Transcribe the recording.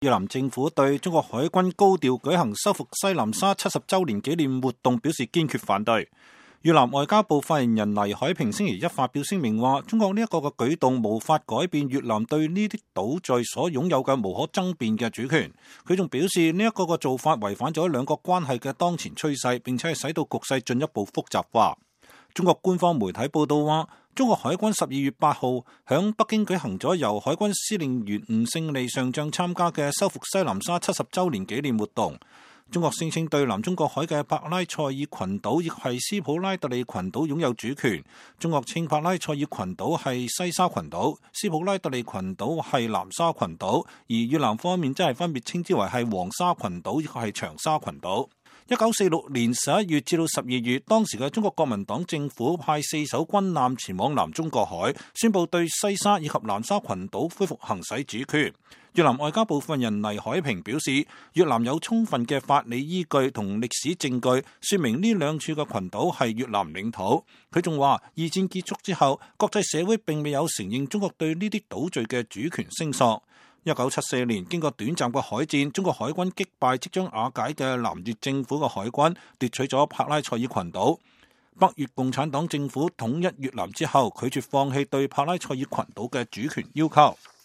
越南政府對中國海軍高調舉行收復西南沙70週年紀念活動表示堅決反對。越南外交部發言人黎海平星期一發表聲明話，中國呢一個嘅舉動無法改變越南對呢啲島嶼所擁有嘅無可爭辯嘅主權。佢仲表示呢一個嘅做法違反咗兩國關係嘅當前趨勢，並且係使到局勢進一步複雜化。中國官方媒體報道話，中國海軍12月8號響北京舉行咗由海軍司令員吳勝利上將參加嘅收復西南沙70週年紀念活動。中國聲稱對南中國海嘅帕拉塞爾群島亦係斯普拉特利群島擁有主權。中國稱帕拉塞爾群島係西沙群島，斯普拉特利群島係南沙群島，而越南方面則係分別稱之為係黃沙群島亦係長沙群島。1946年11月至到12月，當時嘅中國國民黨政府派4艘軍艦前往南中國海，宣布對西沙以及南沙群島恢復行使主權。越南外交部發言人黎海平表示，越南有充分嘅法理依據同歷史證據，說明呢兩處嘅群島係越南領土。佢仲話，二戰結束之後，國際社會並未有承認中國對呢啲島嶼嘅主權聲索。1974年，經過短暫嘅海戰，中國海軍擊敗即將瓦解嘅南越政府嘅海軍，奪取咗帕拉塞爾群島。北越共產黨政府統一越南之後，拒絕放棄對帕拉塞爾群島嘅主權要求。